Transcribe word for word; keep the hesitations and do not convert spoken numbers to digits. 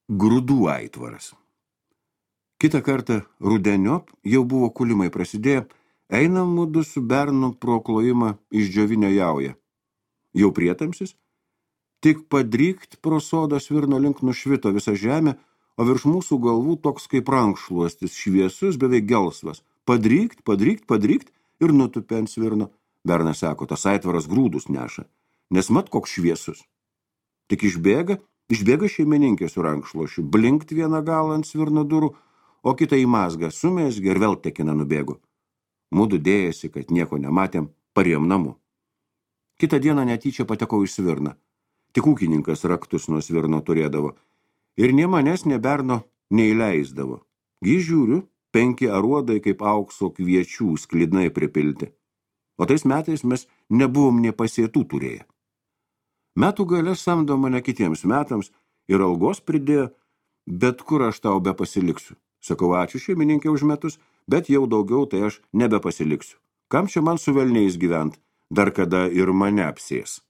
Grūdų aitvaras. Kitą kartą rudeniop jau buvo kulimai prasidėję, einam mudu su bernu pro klojimą išdžiovinę jaują. Jau prietamsis, tik padrykt pro sodą svirno link nušvito visą žemę, o virš mūsų galvų toks kaip rankšluostis, šviesus, beveik gelsvas. Padrykt, padrykt, padrykt ir nutupė ant svirno. Bernas sako, tas aitvaras grūdus neša, nes mat koks šviesus. Tik išbėga, išbėga šeimininkė su rankšluošiu, blinkt vieną galą ant svirno durų, o kitą į mazgą sumesgė ir vėl tekina nubėgo. Mudu dėjasi, kad nieko nematėm, parėjom namu. Kitą dieną netyčia patekau į svirną. Tik ūkininkas raktus nuo svirno turėdavo. Ir nie manęs, ne berno neįleisdavo. Gi žiūriu, penki aruodai kaip aukso kviečių sklidnai pripilti. O tais metais mes nebuvom nė pasėtų turėję. Metų gale samdo mane kitiems metams ir algos pridėjo, bet kur aš tau be pasiliksiu. Sakau, ačiū šeimininkė už metus, bet jau daugiau tai aš nebepasiliksiu. Kam čia man su velniais gyvent, dar kada ir mane apsės?